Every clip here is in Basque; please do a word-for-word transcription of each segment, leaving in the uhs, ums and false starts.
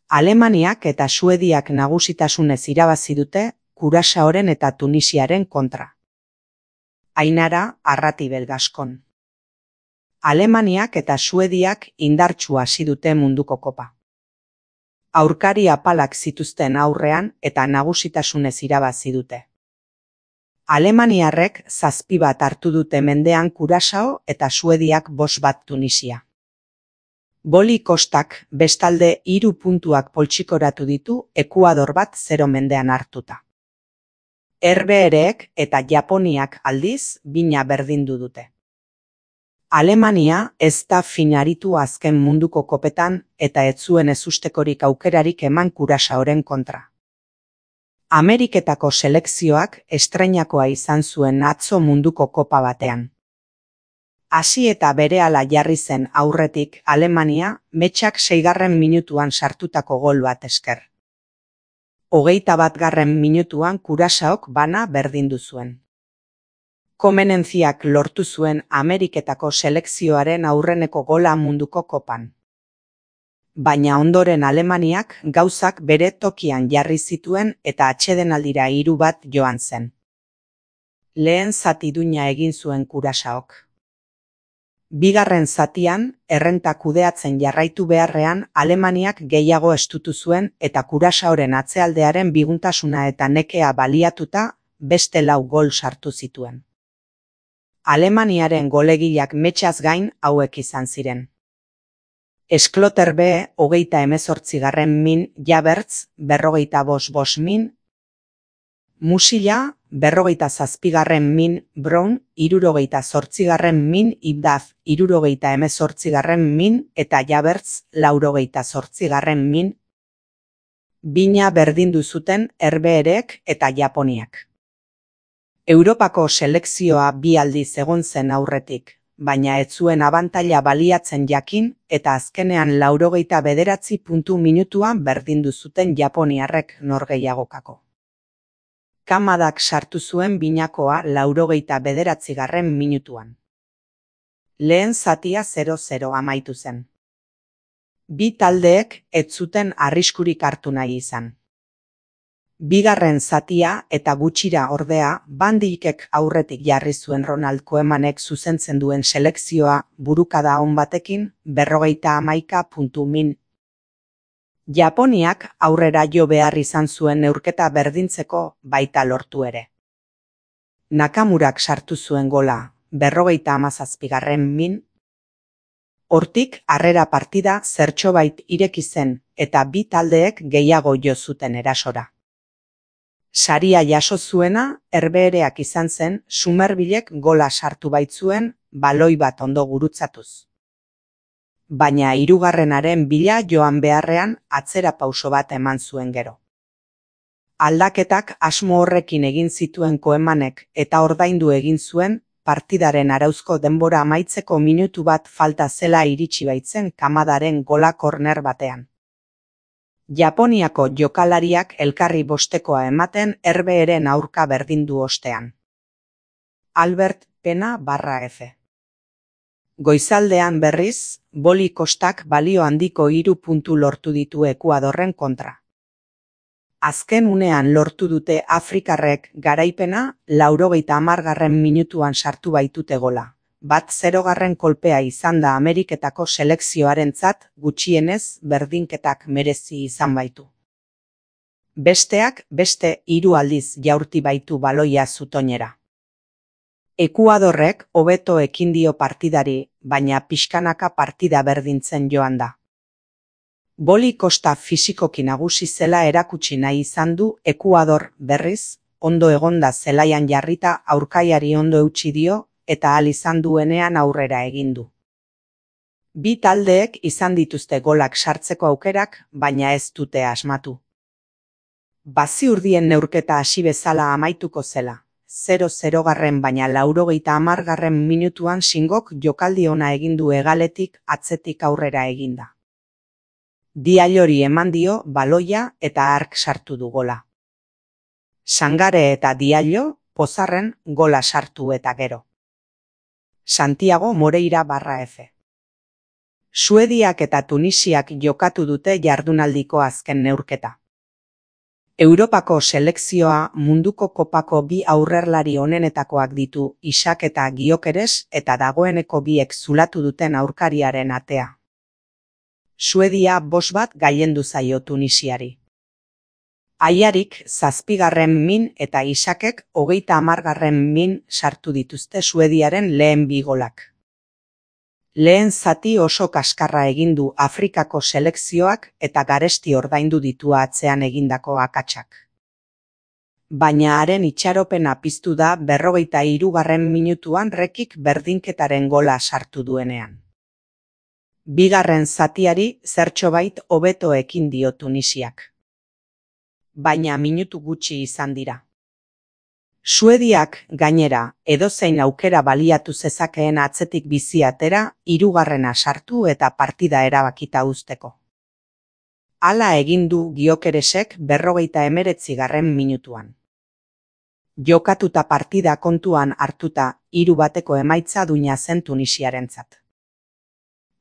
Alemaniak eta Suediak nagusitasunez irabazi dute Kurasaoren eta Tunisiaren kontra. Ainara Arratibel Gaskon. Alemaniak eta Suediak indartsu hasi dute munduko kopa. Aurkari apalak zituzten aurrean eta nagusitasunez irabazi dute. Alemaniarrek zazpi bat hartu dute mendean Kurasao eta Suediak bost bat Tunisia. Boli Kostak bestalde hiru puntuak poltsikoratu ditu Ekuador bat zero mendean hartuta. Herbehereek eta Japoniak aldiz bina berdindu dute. Alemania ez da finaritu azken munduko kopetan eta ez zuen ezustekorik aukerarik eman Kurasaoren kontra. Ameriketako selekzioak estreinakoa izan zuen atzo munduko kopa batean. Hasi eta berehala jarri zen aurretik Alemania metxak seigarren minutuan sartutako gol bat esker. Hogeita batgarren minutuan Kurasaok bana berdindu zuen. Komenentziak lortu zuen Ameriketako selekzioaren aurreneko gola munduko kopan. Baina ondoren Alemaniak gauzak bere tokian jarri zituen eta atsedenaldira hiru bat joan zen. Lehen zati duina egin zuen Kurasaok. Bigarren zatian, errenta kudeatzen jarraitu beharrean Alemaniak gehiago estutu zuen eta Kurasaoren atzealdearen biguntasuna eta nekea baliatuta beste lau gol sartu zituen. Alemaniaren golegilak metxaz gain hauek izan ziren. Eskloterbe hogeita hemezortzigarren min Jabertz, berrogeita bost bost min, Musila, berrogeita zazpigarren min Brown, hirurogeita zortzigarren min Ibdaf, hirurogeita hemezortzigarren min eta Jabertz, laurogeita zortzigarren min, bina berdindu zuten Herbehereek eta Japoniak. Europako selekzioa bi aldiz egon zen aurretik, baina ez zuen abantaila baliatzen jakin eta azkenean laurogeita bederatzi puntu minutuan berdindu zuten Japoniarrek norgehiagokako. Kamadak sartu zuen binakoa laurogeita bederatzigarren minutuan. Lehen zatia zero zero amaitu zen. Bi taldeek ez zuten arriskurik hartu nahi izan. Bigarren zatia eta gutxira ordea Van Dijkek aurretik jarri zuen Ronald Koemanek zuzentzen duen selekzioa burukada on batekin berrogeita hamaika puntu min. Japoniak aurrera jo behar izan zuen neurketa berdintzeko baita lortu ere. Nakamurak sartu zuen gola, berrogeita hamazazpigarren min. Hortik harrera partida zertxobait ireki zen eta bi taldeek gehiago jo zuten erasora. Saria jaso zuena Herbehereak izan zen Sumerbilek gola sartu baitzuen baloi bat ondo gurutzatuz. Baina hirugarrenaren bila joan beharrean atzera pauso bat eman zuen gero. Aldaketak asmo horrekin egin zituen Koemanek eta ordaindu egin zuen partidaren arauzko denbora amaitzeko minutu bat falta zela iritsi baitzen Kamadaren gola korner batean. Japoniako jokalariak elkarri bostekoa ematen Herbeheren aurka berdindu ostean. Albert Pena barra F. Goizaldean berriz, Boli Kostak balio handiko hiru puntu lortu ditu Ekuadorren kontra. Azken unean lortu dute Afrikarrek garaipena laurogeita hamargarren minutuan sartu baitute gola. Bat zerogarren kolpea izan da Ameriketako selekzioarentzat gutxienez berdinketak merezi izan baitu. Besteak beste hiru aldiz jaurti baitu baloia zutoinera. Ekuadorrek hobeto ekin dio partidari, baina pixkanaka partida berdintzen joan da. Boli Kosta fisikoki nagusi zela erakutsi nahi izan du Ekuador berriz, ondo egonda zelaian jarrita aurkaiari ondo eutsi dio eta ahal izan duenean aurrera egin du. Bi taldeek izan dituzte golak sartzeko aukerak, baina ez dute asmatu. Baziurdien neurketa hasi bezala amaituko zela. zero zerogarren baina laurogeita hamargarren minutuan Singok jokaldi ona egin du hegaletik atzetik aurrera eginda. Diallori eman dio baloia eta hark sartu du gola. Sangare eta Diallo pozarren gola sartu eta gero. Santiago Moreira barra F. Suediak eta Tunisiak jokatu dute jardunaldiko azken neurketa. Europako selekzioa munduko kopako bi aurrerlari onenetakoak ditu Isak eta Gyökeres eta dagoeneko biek zulatu duten aurkariaren atea. Suedia bost bat gailendu zaio Tunisiari. Aiarik zazpigarren min eta Isakek hogeita hamargarren min sartu dituzte Suediaren lehen bi golak. Lehen zati oso kaskarra egin du Afrikako selekzioak eta garesti ordaindu ditu atzean egindako akatsak. Baina haren itxaropena piztu da berrogeita hirugarren minutuan Rekik berdinketaren gola sartu duenean. Bigarren zatiari zertxobait hobeto ekin dio Tunisiak. Baina minutu gutxi izan dira. Suediak, gainera, edozein aukera baliatu zezakeen atzetik bizi atera, hirugarrena sartu eta partida erabakita uzteko. Hala egin du Gyökeresek berrogeita hemeretzigarren minutuan. Jokatuta partida kontuan hartuta, hiru bateko emaitza duina zen Tunisiarentzat.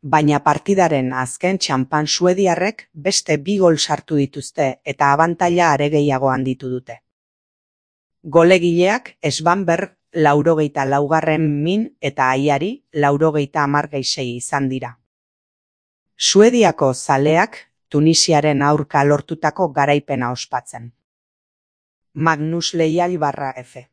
Baina partidaren azken txanpan suediarrek beste bi gol sartu dituzte eta abantaila are gehiago handitu dute. Golegileak Svanberg laurogeita laugarren min eta Aiari laurogeita hamar gehi sei izan dira. Suediako zaleak Tunisiaren aurka lortutako garaipena ospatzen. Magnus Leiali barra F